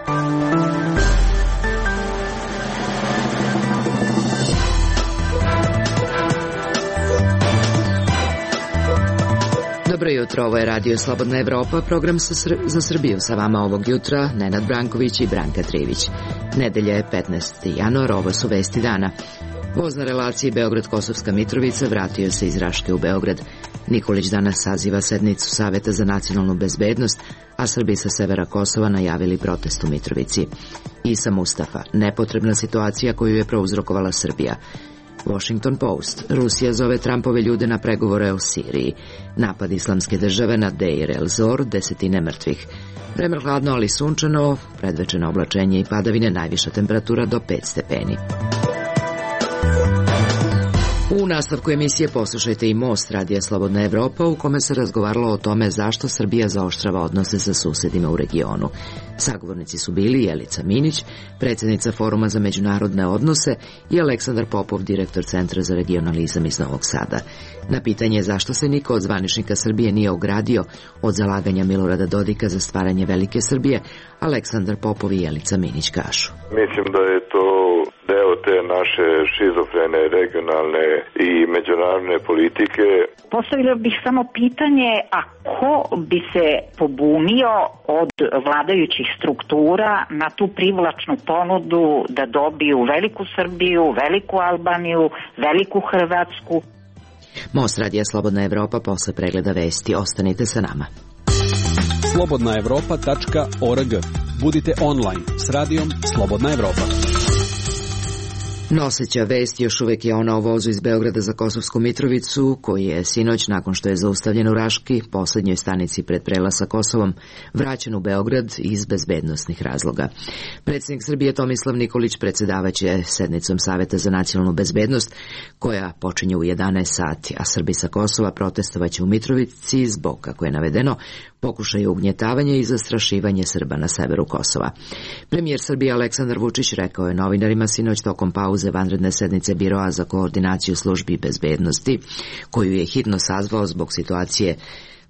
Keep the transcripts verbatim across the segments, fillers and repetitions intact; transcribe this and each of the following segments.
Dobro jutro, ovo je Radio Slobodna Evropa, program za Srbiju. Sa vama ovog jutra Nenad Branković i Branka Trivić. Nedelja je petnaesti januar, ovo su vesti dana. Voz na relaciji Beograd-Kosovska Mitrovica vratio se iz Raške u Beograd. Nikolić danas saziva sednicu Saveta za nacionalnu bezbednost, a Srbi sa severa Kosova najavili protest u Mitrovici. Isa Mustafa, nepotrebna situacija koju je prouzrokovala Srbija. Washington Post, Rusija zove Trumpove ljude na pregovore o Siriji. Napad islamske države na Deir el-Zor, desetine mrtvih. Vreme hladno, ali sunčano, predvečeno oblačenje i padavine, najviša temperatura do pet stepeni. U nastavku emisije poslušajte i Most Radija Slobodna Evropa, u kome se razgovaralo o tome zašto Srbija zaoštrava odnose sa susedima u regionu. Sagovornici su bili Jelica Minić, predsjednica Foruma za međunarodne odnose, i Aleksandar Popov, direktor Centra za regionalizam iz Novog Sada. Na pitanje zašto se niko od zvaničnika Srbije nije ogradio od zalaganja Milorada Dodika za stvaranje Velike Srbije, Aleksandar Popov i Jelica Minić kažu. Mislim da je to deo te naše šizofrene regionalne i međunarodne politike. Postavila bih samo pitanje, a ko bi se pobunio od vladajućih struktura na tu privlačnu ponudu da dobiju Veliku Srbiju, Veliku Albaniju, Veliku Hrvatsku? Most Radija Slobodna Evropa posle pregleda vesti. Ostanite sa nama. slobodna evropa tačka org. Budite online s radijom Slobodna Evropa. Noseća vest još uvek je ona o vozu iz Beograda za Kosovsku Mitrovicu, koji je sinoć, nakon što je zaustavljen u Raški, poslednjoj stanici pred prelaz sa Kosovom, vraćen u Beograd iz bezbednosnih razloga. Predsjednik Srbije Tomislav Nikolić predsedavaće sednicom Saveta za nacionalnu bezbednost, koja počinje u jedanaest sati, a Srbi sa Kosova protestovaće u Mitrovici zbog, kako je navedeno, pokušaju ugnjetavanja i zastrašivanje Srba na severu Kosova. Premijer Srbije Aleksandar Vučić rekao je novinarima sinoć tokom pauze vanredne sednice Biroa za koordinaciju službi bezbednosti, koju je hitno sazvao zbog situacije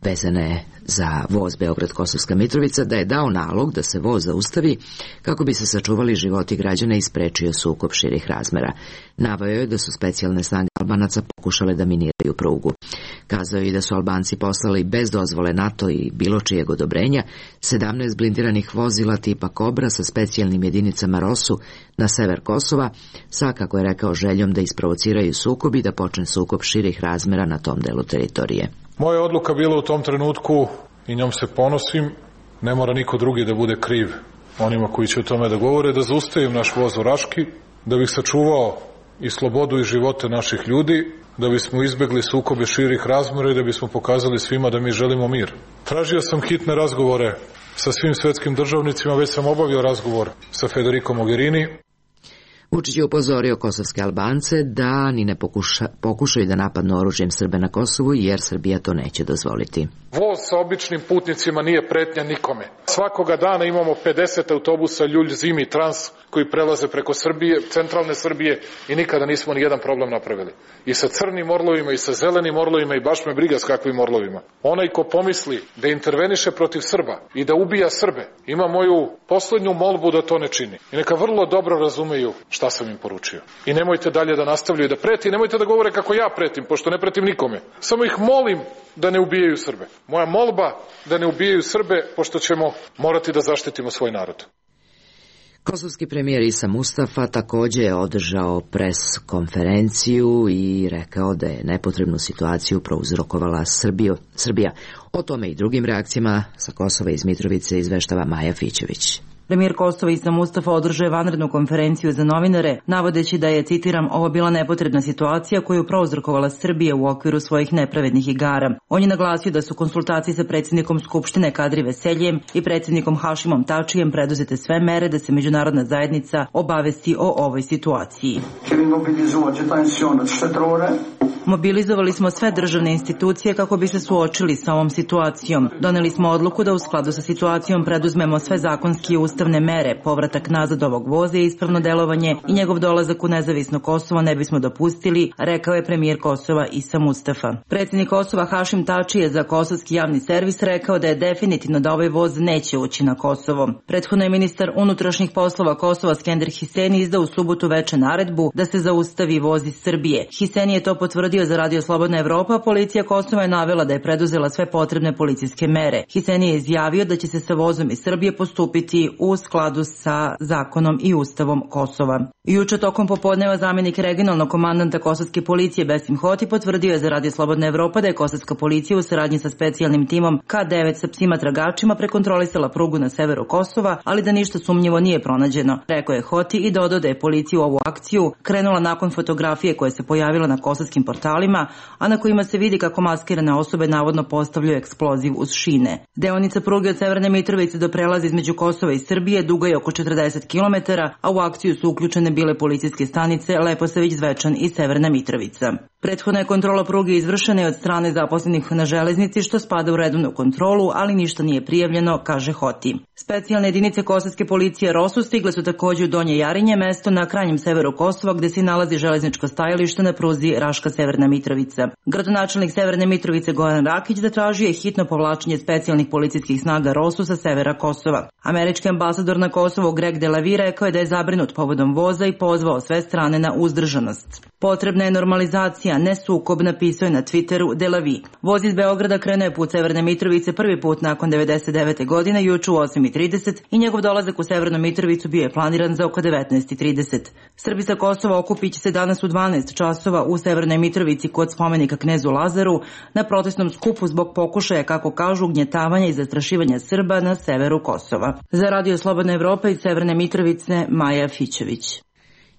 vezane za voz Beograd-Kosovska Mitrovica, da je dao nalog da se voz zaustavi kako bi se sačuvali životi građana i sprečio sukob širih razmera. Naveo je da su specijalne snage Albanaca pokušale da miniraju prugu. Kazao je i da su Albanci poslali bez dozvole NATO i bilo čijeg odobrenja sedamnaest blindiranih vozila tipa Kobra sa specijalnim jedinicama Rosu na sever Kosova, sa, kako je rekao, željom da isprovociraju sukob i da počne sukob širih razmera na tom delu teritorije. Moja odluka bila u tom trenutku, i njom se ponosim, ne mora niko drugi da bude kriv onima koji će o tome da govore, da zaustavim naš voz u Raški, da bih sačuvao i slobodu i živote naših ljudi, da bismo izbegli sukobe širih razmera i da bismo pokazali svima da mi želimo mir. Tražio sam hitne razgovore sa svim svetskim državnicima, već sam obavio razgovor sa Federico Mogherini. Vučić je upozorio kosovske Albance da ni ne pokuša, pokušaju da napadnu oružjem Srbe na Kosovu, jer Srbija to neće dozvoliti. Voz sa običnim putnicima nije pretnja nikome. Svakoga dana imamo pedeset autobusa Ljulj, Zimi, Trans koji prelaze preko Srbije, centralne Srbije, i nikada nismo ni jedan problem napravili. I sa crnim orlovima i sa zelenim orlovima, i baš me briga s kakvim orlovima. Onaj ko pomisli da interveniše protiv Srba i da ubija Srbe, ima moju poslednju molbu da to ne čini. I neka vrlo dobro razumeju šta sam im poručio. I nemojte dalje da nastavljaju da preti, nemojte da govore kako ja pretim, pošto ne pretim nikome. Samo ih molim da ne ubijaju Srbe. Moja molba da ne ubijaju Srbe, pošto ćemo morati da zaštitimo svoj narod. Kosovski premijer Isa Mustafa također je održao pres konferenciju i rekao da je nepotrebnu situaciju prouzrokovala Srbiju, Srbija. O tome i drugim reakcijama sa Kosova iz Mitrovice izveštava Maja Fićević. Premijer Kosova Isa Mustafa održao je vanrednu konferenciju za novinare, navodeći da je, citiram, ovo bila nepotrebna situacija koju prouzrokovala Srbija u okviru svojih nepravednih igara. On je naglasio da su konsultacije sa predsjednikom Skupštine Kadri Veseljem i predsjednikom Hašimom Tačijem preduzete sve mere da se međunarodna zajednica obavesti o ovoj situaciji. Mobilizovali smo sve državne institucije kako bi se suočili sa ovom situacijom. Doneli smo odluku da u skladu sa situacijom preduzmemo sve zakonski i ustavne ustavne mere. Povratak nazad ovog voza je ispravno delovanje i njegov dolazak u nezavisno Kosovo ne bismo dopustili, rekao je premijer Kosova Isa Mustafa. Predsjednik Kosova Hašim Tači je za kosovski javni servis rekao da je definitivno da ovaj voz neće ući na Kosovo. Prethodno je ministar unutrašnjih poslova Kosova Skender Hiseni izdao u subotu veče naredbu da se zaustavi voz iz Srbije. Hiseni je to potvrdio za Radio Slobodna Evropa, policija Kosova je navela da je preduzela sve potrebne policijske mere. Hiseni je izjavio da će se sa vozom iz Srbije postupiti u skladu sa zakonom i ustavom Kosova. Juče tokom popodneva zamjenik regionalnog komandanta kosovske policije Besim Hoti potvrdio je za Radio Slobodna Evropa da je kosovska policija u saradnji sa specijalnim timom K devet sa psima tragačima prekontrolisala prugu na severu Kosova, ali da ništa sumnjivo nije pronađeno. Rekao je Hoti i dodao da je policija u ovu akciju krenula nakon fotografije koja se pojavila na kosovskim portalima, a na kojima se vidi kako maskirane osobe navodno postavljaju eksploziv uz šine. Deonica pruge od Severne Mitrovice do prelaza između Kosova i Srbije duga je oko četrdeset kilometara, a u akciju su uključene bile policijske stanice Leposavić, Zvečan i Severna Mitrovica. Prethodna je kontrola pruge izvršena od strane zaposlenih na železnici, što spada u redovnu kontrolu, ali ništa nije prijavljeno, kaže Hoti. Specijalne jedinice kosovske policije Rosu stigle su takođe u Donje Jarinje, mesto na krajnjem severu Kosova gde se nalazi železničko stajalište na pruzi Raška-Severna Mitrovica. Gradonačelnik Severne Mitrovice Goran Rakić zatražio je hitno povlačenje specijalnih policijskih snaga Rosu sa severa Kosova. Američki ambasador na Kosovu Greg Delavi rekao je da je zabrinut povodom voza i pozvao sve strane na uzdržanost. Potrebna je normalizacija, ne sukob, napisao je na Twitteru Delavi. Voz iz Beograda krenuo je put Severne Mitrovice prvi put nakon devedeset devete godine juče u osam i trideset i njegov dolazak u Severnu Mitrovicu bio je planiran za oko devetnaest i trideset. Srbi sa Kosova okupit će se danas u dvanaest časova u Severnoj Mitrovici kod spomenika knezu Lazaru na protestnom skupu zbog pokušaja, kako kažu, ugnjetavanja i zastrašivanja Srba na severu Kosova. Za Radio Slobodna Evropa iz Severne Mitrovice Maja Fićević.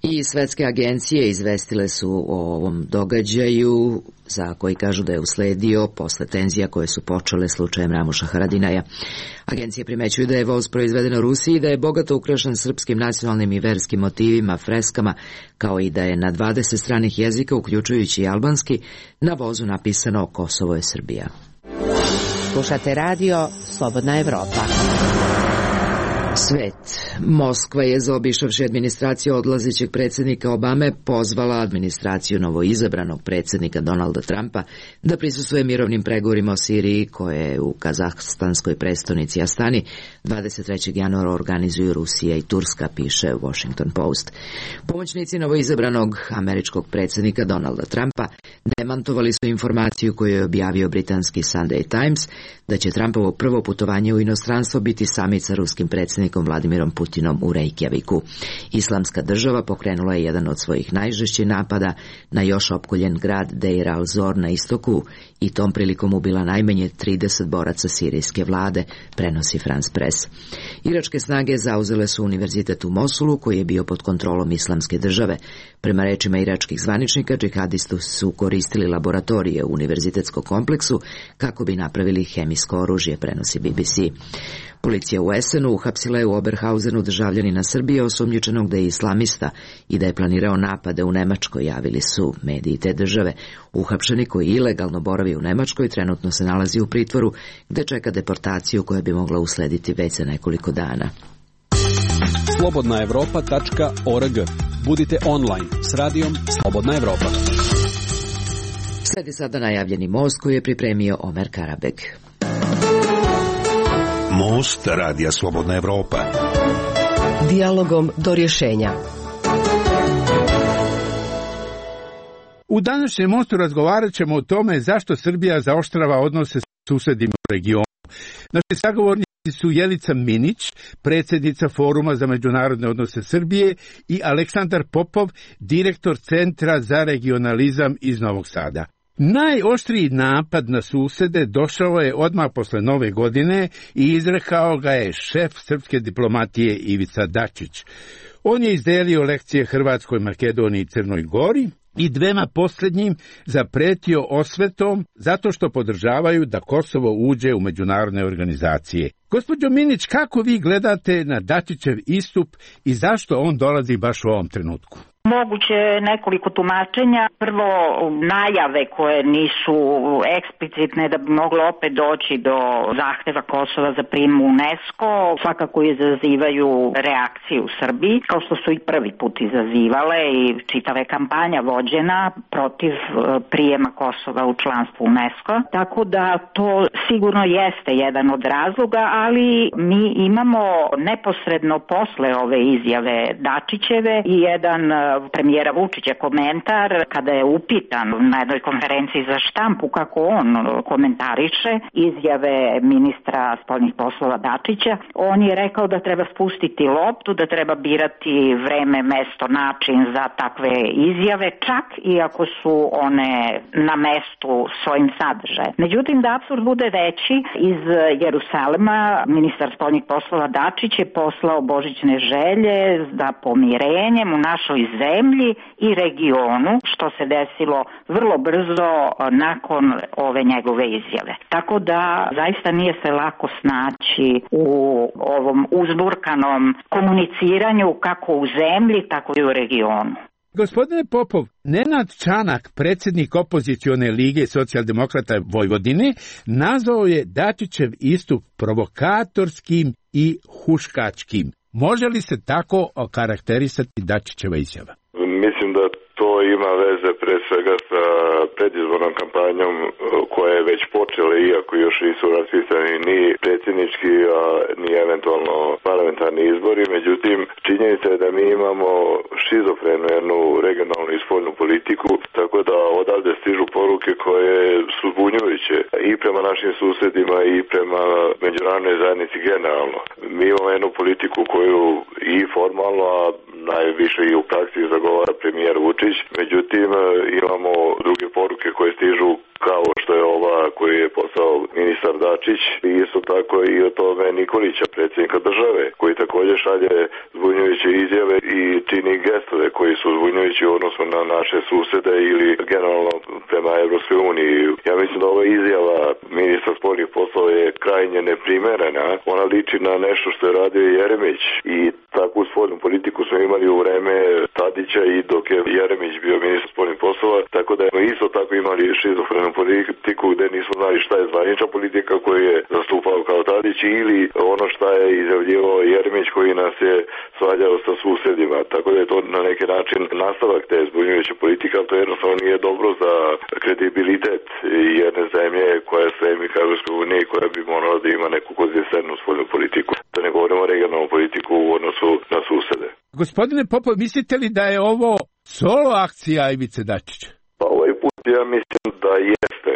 I svetske agencije izvestile su o ovom događaju, za koji kažu da je usledio posle tenzija koje su počele slučajem Ramuša Haradinaja. Agencije primećuju da je voz proizveden u Rusiji i da je bogato ukrašen srpskim nacionalnim i verskim motivima, freskama, kao i da je na dvadeset stranih jezika, uključujući i albanski, na vozu napisano Kosovo je Srbija. Slušate radio Slobodna Evropa. Svet. Moskva je, zaobišavši administraciju odlazećeg predsjednika Obame, pozvala administraciju novoizabranog predsjednika Donalda Trumpa da prisustvuje mirovnim pregovorima o Siriji, koje u kazahstanskoj prestonici Astani dvadeset trećeg januara organizuju Rusija i Turska, piše Washington Post. Pomoćnici novoizabranog američkog predsjednika Donalda Trumpa demantovali su informaciju koju je objavio britanski Sunday Times da će Trumpovo prvo putovanje u inostranstvo biti samit sa ruskim predsjednikom Vladimirom Putinom u Reykjaviku. Islamska država pokrenula je jedan od svojih najžešćih napada na još opkoljen grad Deir al-Zor na istoku i tom prilikom ubila najmanje trideset boraca sirijske vlade, prenosi France Press. Iračke snage zauzele su univerzitet u Mosulu, koji je bio pod kontrolom Islamske države. Prema rečima iračkih zvaničnika, džihadisti su koristili laboratorije u univerzitetskom kompleksu kako bi napravili hemijsko oružje, prenosi B B C. Policija u Essenu uhapsila je u Oberhausenu državljanina Srbije osumnjičenog da je islamista i da je planirao napade u Nemačkoj, javili su mediji te države. Uhapšeni, koji ilegalno boravi u Nemačkoj, trenutno se nalazi u pritvoru gde čeka deportaciju koja bi mogla uslediti već za nekoliko dana. slobodna evropa tačka org. Budite online s radijom Slobodna Evropa. Sledi sada najavljeni most koji je pripremio Omer Karabeg. Most radija Slobodna Evropa. Dijalogom do rješenja. U današnjem mostu razgovarat ćemo o tome zašto Srbija zaoštrava odnose s susedima u regionu. Naši sagovornici su Jelica Minić, predsjednica Foruma za međunarodne odnose Srbije, i Aleksandar Popov, direktor Centra za regionalizam iz Novog Sada. Najoštriji napad na susede došao je odmah posle Nove godine i izrekao ga je šef srpske diplomatije Ivica Dačić. On je izdelio lekcije Hrvatskoj, Makedoniji i Crnoj Gori i dvema posljednjim zapretio osvetom zato što podržavaju da Kosovo uđe u međunarodne organizacije. Gospođo Minić, kako vi gledate na Dačićev istup i zašto on dolazi baš u ovom trenutku? Moguće nekoliko tumačenja. Prvo, najave koje nisu eksplicitne da bi moglo opet doći do zahteva Kosova za prijem u UNESCO, svakako izazivaju reakciju u Srbiji, kao što su i prvi put izazivale i čitava je kampanja vođena protiv prijema Kosova u članstvo UNESCO. Tako da to sigurno jeste jedan od razloga, ali mi imamo neposredno posle ove izjave Dačićeve i jedan premijera Vučića komentar kada je upitan na jednoj konferenciji za štampu kako on komentariše izjave ministra spoljnih poslova Dačića. On je rekao da treba spustiti loptu, da treba birati vreme, mesto, način za takve izjave, čak i ako su one na mestu svojim sadržajem. Međutim, da apsurd bude veći, iz Jerusalema ministar spoljnih poslova Dačić je poslao božićne želje za pomirenjem u našoj zemlji i regionu, što se desilo vrlo brzo nakon ove njegove izjave. Tako da zaista nije se lako snaći u ovom uzburkanom komuniciranju kako u zemlji, tako i u regionu. Gospodine Popov, Nenad Čanak, predsjednik opozicione lige socijaldemokrata Vojvodine, nazvao je Dačićev istup provokatorskim i huškačkim. Može li se tako okarakterisati Dačićeva izjava? Mislim da to ima veze pre svega sa predizbornom kampanjom koja je već počela, iako još nisu raspisani ni predsjednički, a ni eventualno parlamentarni izbori. Međutim, činjenica je da mi imamo šizofrenu jednu regionalnu i spoljnu politiku, tako da odavde stižu poruke koje su zbunjujuće i prema našim susedima i prema međunarodnoj zajednici generalno. Mi imamo jednu politiku koju i formalno, a najviše i u praksi zagovara premijer Vučić. Međutim, imamo druge poruke koje stižu kao što je ova koju je poslao ministar Dačić i isto tako i o tome Nikolića, predsjednika države, koji također šalje zbunjujuće izjave i čini gestove koji su zbunjujući u odnosu na naše susede ili generalno prema Evropskoj uniji. Ja mislim da ova izjava ministra spoljnih poslova je krajnje neprimerena. Ona liči na nešto što je radio Jeremić i takvu spoljnu politiku smo imali u vreme Tadića i dok je Jeremić bio ministar spoljnih poslova, tako da smo isto tako imali šizofrenu politiku gde nismo znali šta je zvanična politika koju je zastupao kao Tadić ili ono šta je izjavljivao Jeremić koji nas je svađao sa susedima. Tako da je to na neki način nastavak te zbunjujuće politike, ali to jednostavno nije dobro za kredibilitet jedne zemlje koja je stremi ka Evropskoj uniji i koja bi morala da ima neku konzistentnu spoljnu politiku. Da ne govorimo o regionalnu politiku u odnosu na susede. Gospodine Popov, mislite li da je ovo solo akcija Ivice Dačića? Pa ovaj put ja mislim da jeste.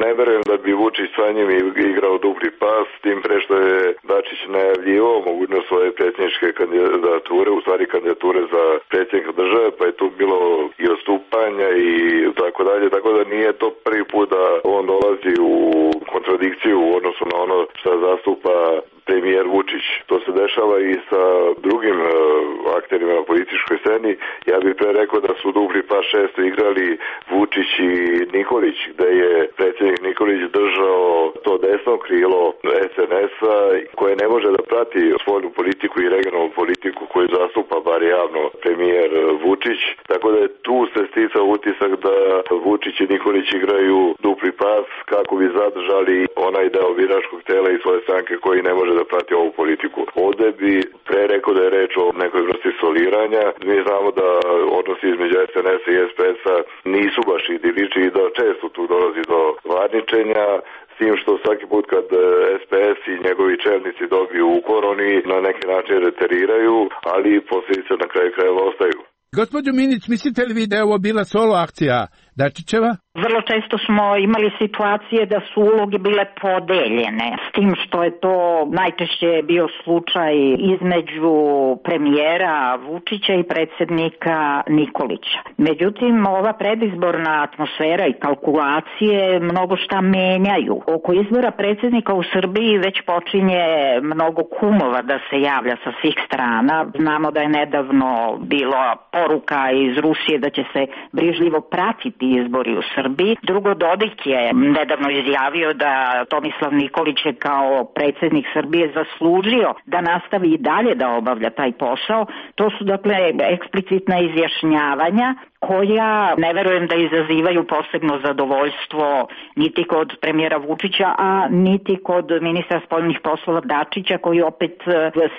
Ne verujem da bi Vučić sa njim igrao dupli pas, tim pre što je Dačić najavljivao mogućnost svoje predsjedničke kandidature, u stvari kandidature za predsjednika države, pa je tu bilo i odstupanja i tako dalje, tako da nije to prvi put da on dolazi u kontradikciju u odnosu na ono što zastupa premijer Vučić. To se dešava i sa drugim uh, akterima na političkoj sceni. Ja bih pre rekao da su dupli pas šesto igrali Vučić i Nikolić, gde je predsjednik Nikolić držao to desno krilo es en es-a koje ne može da prati spoljnu politiku i regionalnu politiku koju zastupa bar javno premijer Vučić. Tako da je tu se sticao utisak da Vučić i Nikolić igraju dupli pas kako bi zadržali onaj deo biračkog tela i svoje stranke koji ne može da prati ovu politiku. Ovde bi pre rekao da je reč o nekoj vrsti soliranja. Mi znamo da odnosi između es en es-a i es pe es-a nisu baš idilični i da često tu dolazi do varničenja, s tim što svaki put kad es pe es i njegovi čelnici dobiju ukor, oni na neki način reteriraju, ali posljedice na kraju krajeva ostaju. Gospođo Minić, mislite li vi da je ovo bila solo akcija Dačićeva? Vrlo često smo imali situacije da su uloge bile podeljene, s tim što je to najčešće bio slučaj između premijera Vučića i predsjednika Nikolića. Međutim, ova predizborna atmosfera i kalkulacije mnogo šta menjaju. Oko izbora predsjednika u Srbiji već počinje mnogo kumova da se javlja sa svih strana. Znamo da je nedavno bila poruka iz Rusije da će se brižljivo pratiti izbori u Srbiji. Srbiji. Drugo, Dodik je nedavno izjavio da Tomislav Nikolić je kao predsjednik Srbije zaslužio da nastavi i dalje da obavlja taj posao. To su dakle eksplicitna izjašnjavanja koja ne verujem da izazivaju posebno zadovoljstvo niti kod premijera Vučića, a niti kod ministra spoljnih poslova Dačića, koji opet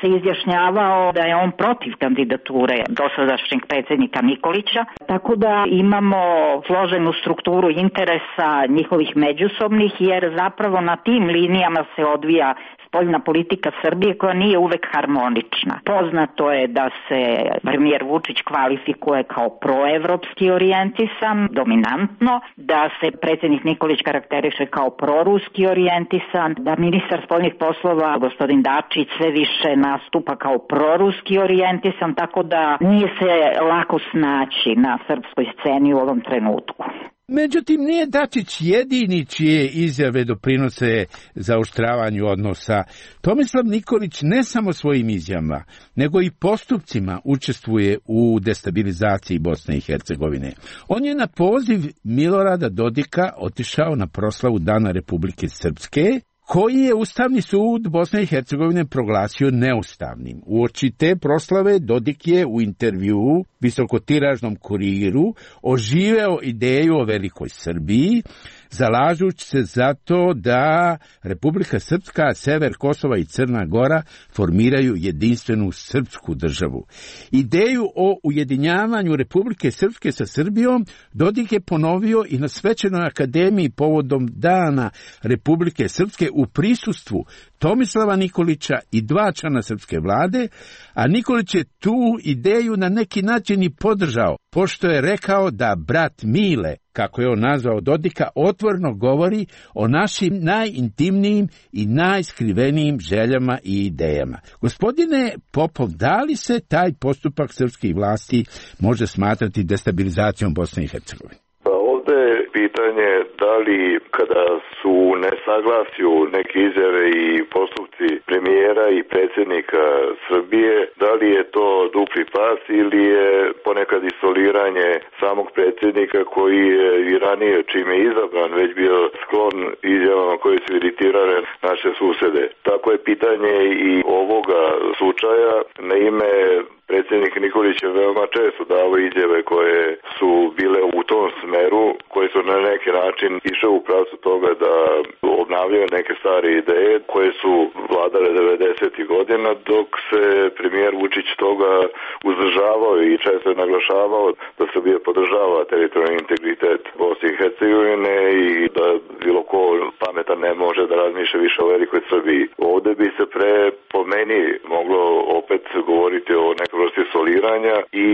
se izjašnjavao da je on protiv kandidature dosadašnjeg predsjednika Nikolića. Tako da imamo složenu strukturu interesa njihovih međusobnih, jer zapravo na tim linijama se odvija spoljna politika Srbije, koja nije uvek harmonična. Poznato je da se premijer Vučić kvalifikuje kao proevropski orijentisan, dominantno, da se predsjednik Nikolić karakteriše kao proruski orijentisan, da ministar spoljnih poslova gospodin Dačić sve više nastupa kao proruski orijentisan, tako da nije se lako snaći na srpskoj sceni u ovom trenutku. Međutim, nije Dačić jedini čije izjave doprinose zaoštravanju odnosa. Tomislav Nikolić ne samo svojim izjavama, nego i postupcima učestvuje u destabilizaciji Bosne i Hercegovine. On je na poziv Milorada Dodika otišao na proslavu Dana Republike Srpske, koji je Ustavni sud Bosne i Hercegovine proglasio neustavnim. Uoči te proslave Dodik je u intervjuu visokotiražnom Kuriru oživeo ideju o velikoj Srbiji, zalažući se za to da Republika Srpska, sever Kosova i Crna Gora formiraju jedinstvenu srpsku državu. Ideju o ujedinjavanju Republike Srpske sa Srbijom Dodik je ponovio i na Svečanoj akademiji povodom Dana Republike Srpske u prisustvu Tomislava Nikolića i dva člana srpske vlade, a Nikolić je tu ideju na neki način i podržao, pošto je rekao da brat Mile, kako je on nazvao Dodika, otvoreno govori o našim najintimnijim i najskrivenijim željama i idejama. Gospodine Popov, da li se taj postupak srpskih vlasti može smatrati destabilizacijom Bosne i Hercegovine? Pitanje da li kada su u nesaglasju neke izjave i postupci premijera i predsjednika Srbije, da li je to dupli pas ili je ponekad isoliranje samog predsjednika koji je i ranije čime je izabran već bio sklon izjavama koje su iritirale naše susede. Tako je pitanje i ovoga slučaja. Na ime predsjednik Nikolić je veoma često dao izjave koje su bile u tom smeru, koje su na neki način išle u pravcu toga da obnavljaju neke stare ideje koje su vladale devedesetih godina, dok se premijer Vučić toga uzdržavao i često je naglašavao da Srbija podržava teritorijalni integritet Bosne i Hercegovine i da bilo ko pametan ne može da razmišlja više o velikoj Srbiji. Ovde bi se pre po meni moglo opet govoriti o nekoj vrsti soliranja i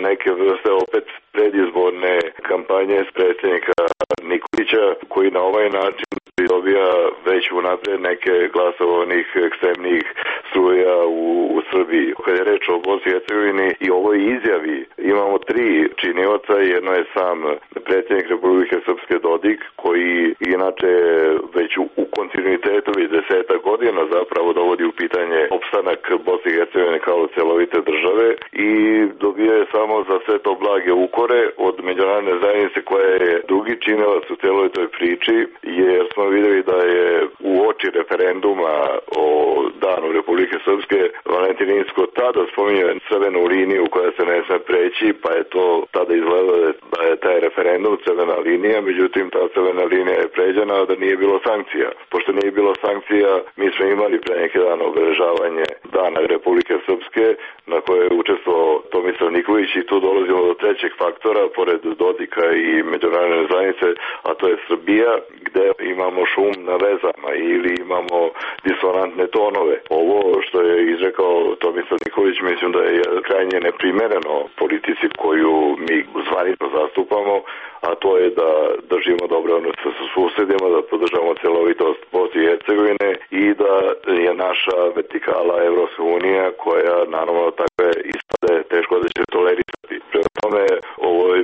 neke vrste opet predizborne kampanje s predsjednika Nikolića, koji na ovaj način dobija već unapred neke glasove onih ekstremnih struja u, u Srbiji. Kad je reč o Bosni i Hercegovini i ovoj izjavi, imamo tri činioca. Jedno je sam predsjednik Republike Srpske Dodik, koji inače već u, u kontinuitetu već deseta godina zapravo dovodi u pitanje opstanak Bosne i Hercegovine kao celovite države i dobio je samo za sve to blage ukore od međunarodne zajednice, koja je drugi činilac u celoj toj priči, jer smo vidjeli da je u oči referenduma o Danu Republike Srpske Valentin Inzko tada spominje crvenu liniju koja se ne sme preći, pa je to tada izgledalo da je taj referendum crvena linija, međutim ta crvena linija je pređena, da nije bilo sankcija. Pošto nije bilo sankcija, mi smo imali pre neki dan obeležavanje Dana Republike Srpske, na koje je učestvovao Tomislav Nikolić, i tu dolazimo do trećeg faktora, pored Dodika i međunarodne zajednice, a to je Srbija, gde imamo šum na vezama ili imamo disonantne tonove. Ovo što je izrekao Tomislav Nikolić, mislim da je krajnje neprimereno politici koju mi zvanično zastupamo, a to je da držimo dobre odnose sa susedima, da podržavamo celovitost Bosne i Hercegovine i da je naša vertikala Evropska unija, koja naravno takve ispade teško da će tolerisati. Prema tome, ovo je,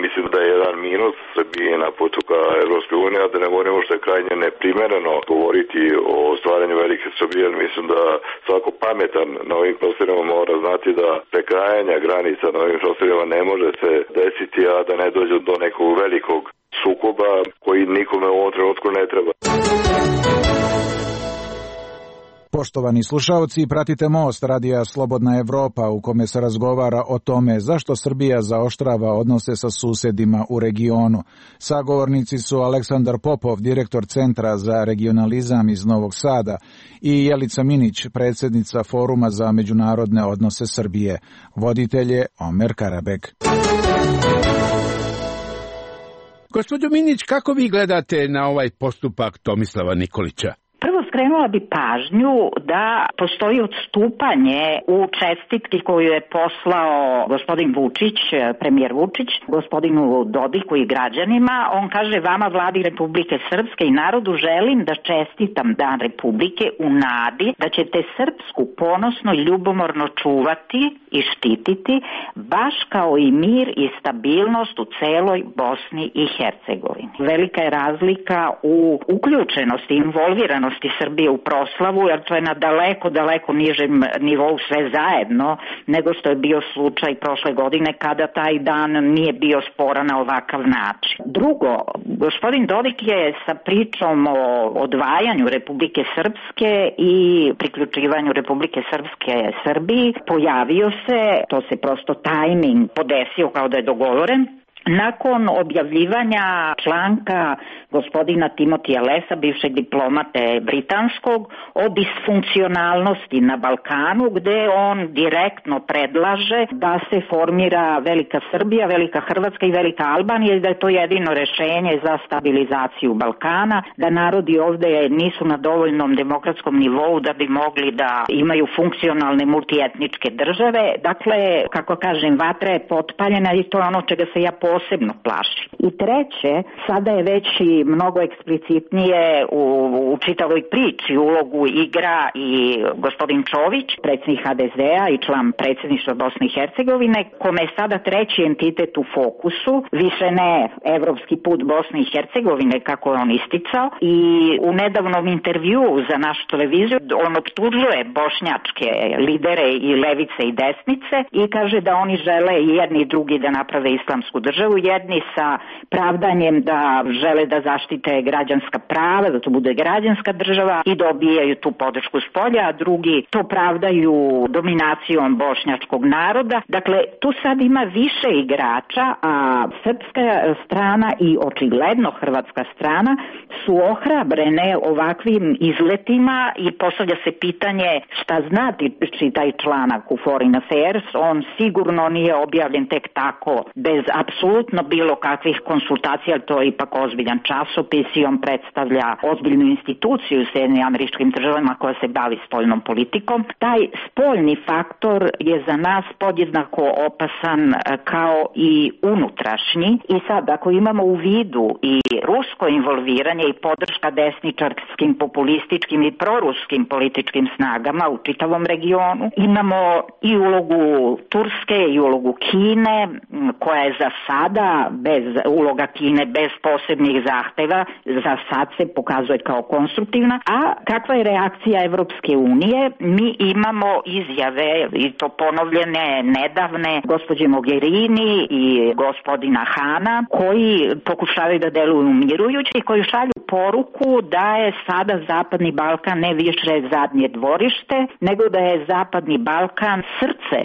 mislim da je jedan minus Srbije na putu ka Evropskoj uniji, a da ne govorimo što je krajnje neprimereno govoriti o stvaranju velike Srbije, jer mislim da svako pametan na ovim prostorima mora znati da prekrajanja granica na ovim prostorima ne može se desiti, a da ne dođe do nekog velikog sukoba koji nikome u ovom trenutku ne treba. Poštovani slušaoci, pratite Most radija Slobodna Evropa u kome se razgovara o tome zašto Srbija zaoštrava odnose sa susedima u regionu. Sagovornici su Aleksandar Popov, direktor Centra za regionalizam iz Novog Sada, i Jelica Minić, predsjednica Foruma za međunarodne odnose Srbije. Voditelj je Omer Karabek. Gospođo Minić, kako vi gledate na ovaj postupak Tomislava Nikolića? Prvo skrenula bi pažnju da postoji odstupanje u čestitki koju je poslao gospodin Vučić, premijer Vučić, gospodinu Dodiku i građanima. On kaže: vama, Vladi Republike Srpske i narodu, želim da čestitam Dan Republike u nadi da ćete srpsku ponosno i ljubomorno čuvati i štititi, baš kao i mir i stabilnost u celoj Bosni i Hercegovini. Velika je razlika u uključenosti, involviranosti Srbije u proslavu, jer to je na daleko, daleko nižem nivou sve zajedno nego što je bio slučaj prošle godine kada taj dan nije bio sporan na ovakav način. Drugo, gospodin Dodik je sa pričom o odvajanju Republike Srpske i priključivanju Republike Srpske Srbiji pojavio se, to se prosto tajming podesio kao da je dogovoren, nakon objavljivanja članka gospodina Timotija Lesa, bivšeg diplomate britanskog, o disfunkcionalnosti na Balkanu, gde on direktno predlaže da se formira Velika Srbija, Velika Hrvatska i Velika Albanija i da je to jedino rešenje za stabilizaciju Balkana, da narodi ovde nisu na dovoljnom demokratskom nivou da bi mogli da imaju funkcionalne multietničke države. Dakle, kako kažem, vatra je potpaljena i to je ono čega se ja posebno plašim. I treće, sada je već i mnogo eksplicitnije u, u čitavoj priči ulogu igra i gospodin Čović, predsjednik ha de zea i član predsjedništva Bosne i Hercegovine, kome je sada treći entitet u fokusu, više ne evropski put Bosne i Hercegovine, kako je on isticao, i u nedavnom intervju za našu televiziju on optužuje bošnjačke lidere i levice i desnice i kaže da oni žele i jedni i drugi da naprave islamsku državu, jedni sa pravdanjem da žele da zaštite građanska prava, da to bude građanska država i dobijaju tu podršku s polja, a drugi to pravdaju dominacijom bošnjačkog naroda. Dakle, tu sad ima više igrača, a srpska strana i očigledno hrvatska strana su ohrabrene ovakvim izletima i postavlja se pitanje šta znači taj članak u Foreign Affairs. On sigurno nije objavljen tek tako, bez apsolutno bilo kakvih konsultacija, to je ipak ozbiljan časopis i on predstavlja ozbiljnu instituciju u Sjedinjenim Američkim Državama koja se bavi spoljnom politikom. Taj spoljni faktor je za nas podjednako opasan kao i unutrašnji i sad ako imamo u vidu i rusko involviranje i podrška desničarskim, populističkim i proruskim političkim snagama u čitavom regionu, imamo i ulogu Turske i ulogu Kine koja je za sada bez uloga Kine, bez posebnih zahteva, za sad se pokazuje kao konstruktivna. A kakva je reakcija Evropske unije? Mi imamo izjave, i to ponovljene nedavne, gospođe Mogherini i gospodina Hana, koji pokušavaju da deluju umirujući i koji šalju poruku da je sada Zapadni Balkan ne više zadnje dvorište, nego da je Zapadni Balkan srce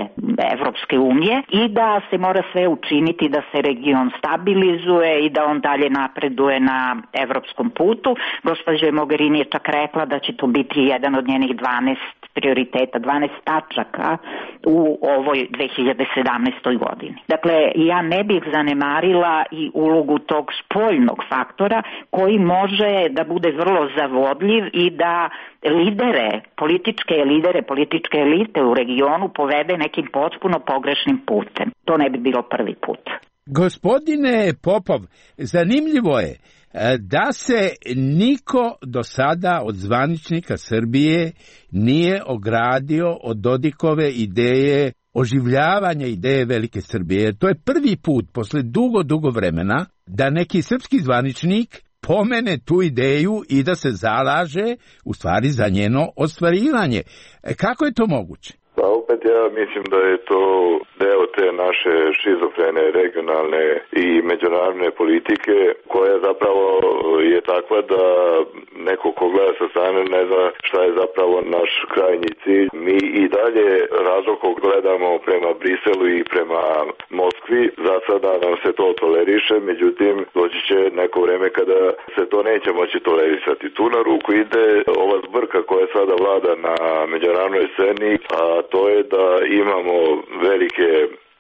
Evropske unije i da se mora sve učiniti da se region stabilizuje i da on dalje napreduje na evropskom putu. Gospođa Mogherini je čak rekla da će to biti jedan od njenih dvanaest prioriteta, dvanaest tačaka u ovoj dve hiljade sedamnaestoj godini. Dakle, ja ne bih zanemarila i ulogu tog spoljnog faktora koji može da bude vrlo zavodljiv i da lidere, političke lidere, političke elite u regionu povede nekim potpuno pogrešnim putem. To ne bi bilo prvi put. Gospodine Popov, zanimljivo je da se niko do sada od zvaničnika Srbije nije ogradio od Dodikove ideje oživljavanja ideje Velike Srbije. To je prvi put posle dugo, dugo vremena da neki srpski zvaničnik pomene tu ideju i da se zalaže u stvari za njeno ostvarivanje. Kako je to moguće? Pa Pa opet ja mislim da je to deo te naše šizofrene regionalne i međunarodne politike koja zapravo je takva da neko ko gleda sa strane ne zna šta je zapravo naš krajnji cilj. Mi i dalje razlog gledamo prema Briselu i prema Moskvi, za sada nam se to toleriše, međutim doći će neko vreme kada se to neće moći tolerisati. Tu na ruku ide ova zbrka koja sada vlada na međunarodnoj sceni, a to je da imamo velike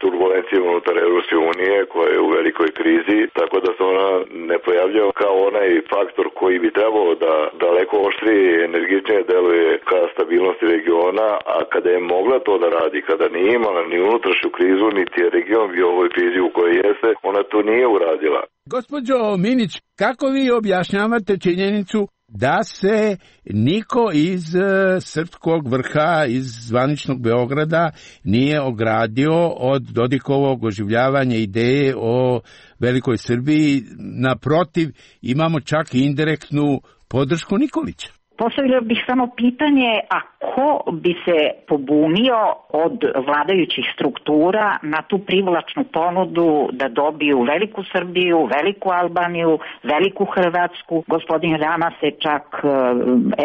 turbulencije unutar Europske unije koja je u velikoj krizi, tako da se ona ne pojavljava kao onaj faktor koji bi trebao da daleko oštrije i energičnije deluje ka stabilnosti regiona, a kada je mogla to da radi, kada nije imala ni unutrašnju krizu, niti je region bio u ovoj krizi u kojoj jeste, ona to nije uradila. Gospođo Minić, kako vi objašnjavate činjenicu da se niko iz uh, srpskog vrha, iz zvaničnog Beograda nije ogradio od Dodikovog oživljavanja ideje o velikoj Srbiji? Naprotiv, imamo čak i indirektnu podršku Nikolića. Postavila bih samo pitanje, a ko bi se pobunio od vladajućih struktura na tu privlačnu ponudu da dobiju veliku Srbiju, veliku Albaniju, veliku Hrvatsku? Gospodin Rama se čak e,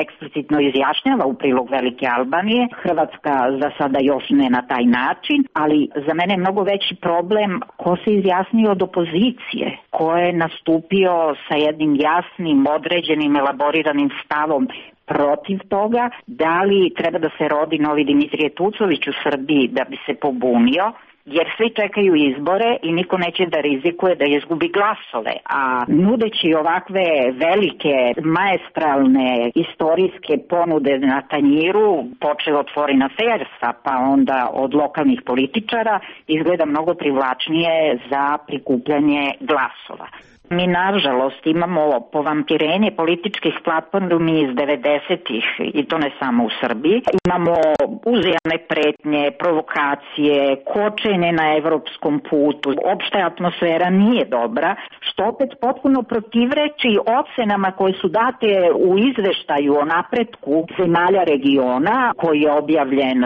eksplicitno izjašnjava u prilog velike Albanije. Hrvatska za sada još ne na taj način, ali za mene je mnogo veći problem ko se izjasnio od opozicije, ko je nastupio sa jednim jasnim, određenim, elaboriranim stavom protiv toga, da li treba da se rodi novi Dimitrije Tucović u Srbiji da bi se pobunio, jer svi čekaju izbore i niko neće da rizikuje da izgubi glasove. A nudeći ovakve velike, maestralne, istorijske ponude na tanjiru, počeo od Foreign Affairsa, pa onda od lokalnih političara, izgleda mnogo privlačnije za prikupljanje glasova. Mi, nažalost, imamo povampirenje političkih platformi iz devedesetih, i to ne samo u Srbiji. Imamo uzajamne pretnje, provokacije, kočenje na evropskom putu. Opšta atmosfera nije dobra, što opet potpuno protivreči ocenama koje su date u izveštaju o napretku zemalja regiona, koji je objavljen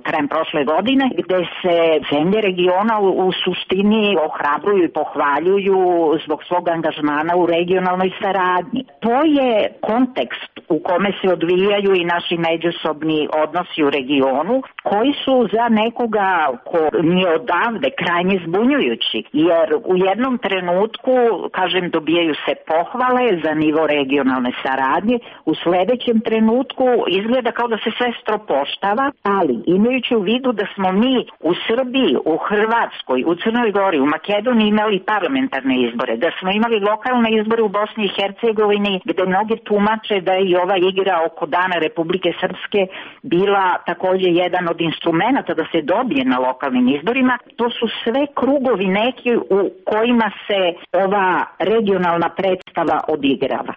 krajem prošle godine, gde se zemlje regiona u, u suštini ohrabruju i pohvaljuju zbog svog angažmana u regionalnoj saradnji. To je kontekst u kome se odvijaju i naši međusobni odnosi u regionu, koji su za nekoga ko nije odavde krajnje zbunjujući, jer u jednom trenutku, kažem, dobijaju se pohvale za nivo regionalne saradnje, u sledećem trenutku izgleda kao da se sve stropoštava, ali imajući u vidu da smo mi u Srbiji, u Hrvatskoj, u Crnoj Gori, u Makedoniji imali parlamentarne izbore, da smo imali lokalne izbore u Bosni i Hercegovini, gde mnogi tumače da je i ova igra oko Dana Republike Srpske bila takođe jedan od instrumenta da se dobije na lokalnim izborima. To su sve krugovi neki u kojima se ova regionalna predstava odigrava.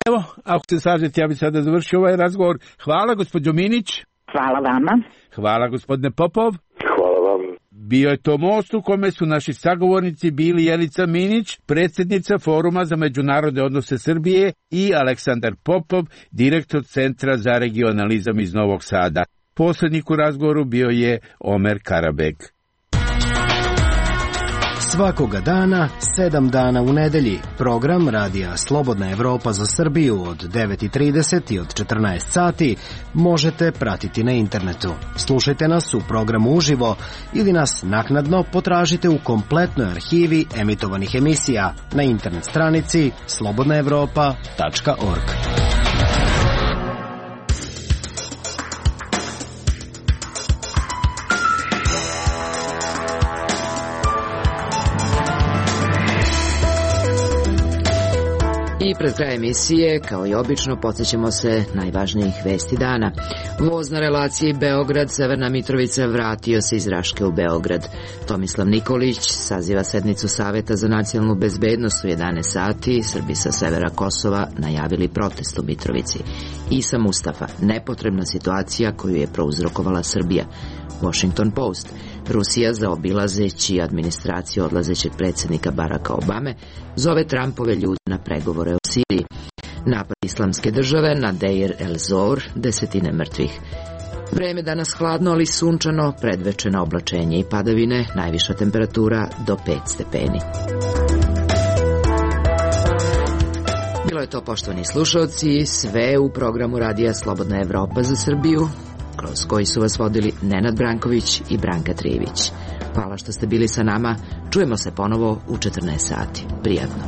Evo, ako se slažete, ja bih sada završio ovaj razgovor. Hvala, gospođo Minić. Hvala vama. Hvala, gospodine Popov. Hvala vam. Bio je to most u kome su naši sagovornici bili Jelica Minić, predsjednica Foruma za međunarodne odnose Srbije, i Aleksandar Popov, direktor Centra za regionalizam iz Novog Sada. Posrednik u razgovoru bio je Omer Karabek. Svakoga dana, sedam dana u nedelji, program Radija Slobodna Evropa za Srbiju od devet i trideset i od četrnaest sati možete pratiti na internetu. Slušajte nas u programu uživo ili nas naknadno potražite u kompletnoj arhivi emitovanih emisija na internet stranici slobodna evropa tačka org. I pred kraj emisije, kao i obično, podsjećamo se najvažnijih vesti dana. Voz na relaciji Beograd-Severna Mitrovica vratio se iz Raške u Beograd. Tomislav Nikolić saziva sednicu Saveta za nacionalnu bezbednost u jedanaest sati. Srbi sa severa Kosova najavili protest u Mitrovici. Isa Mustafa, nepotrebna situacija koju je prouzrokovala Srbija. Washington Post. Rusija, zaobilazeći administraciju odlazećeg predsjednika Baracka Obame, zove Trumpove ljude na pregovore o Siriji. Napad Islamske države na Deir el-Zor, desetine mrtvih. Vreme danas hladno, ali sunčano, predveče na oblačenje i padavine, najviša temperatura do pet stepeni. Bilo je to, poštovani slušalci, sve u programu Radija Slobodna Evropa za Srbiju, kroz koji su vas vodili Nenad Branković i Branka Trijević. Hvala što ste bili sa nama, čujemo se ponovo u četrnaest sati. Prijatno.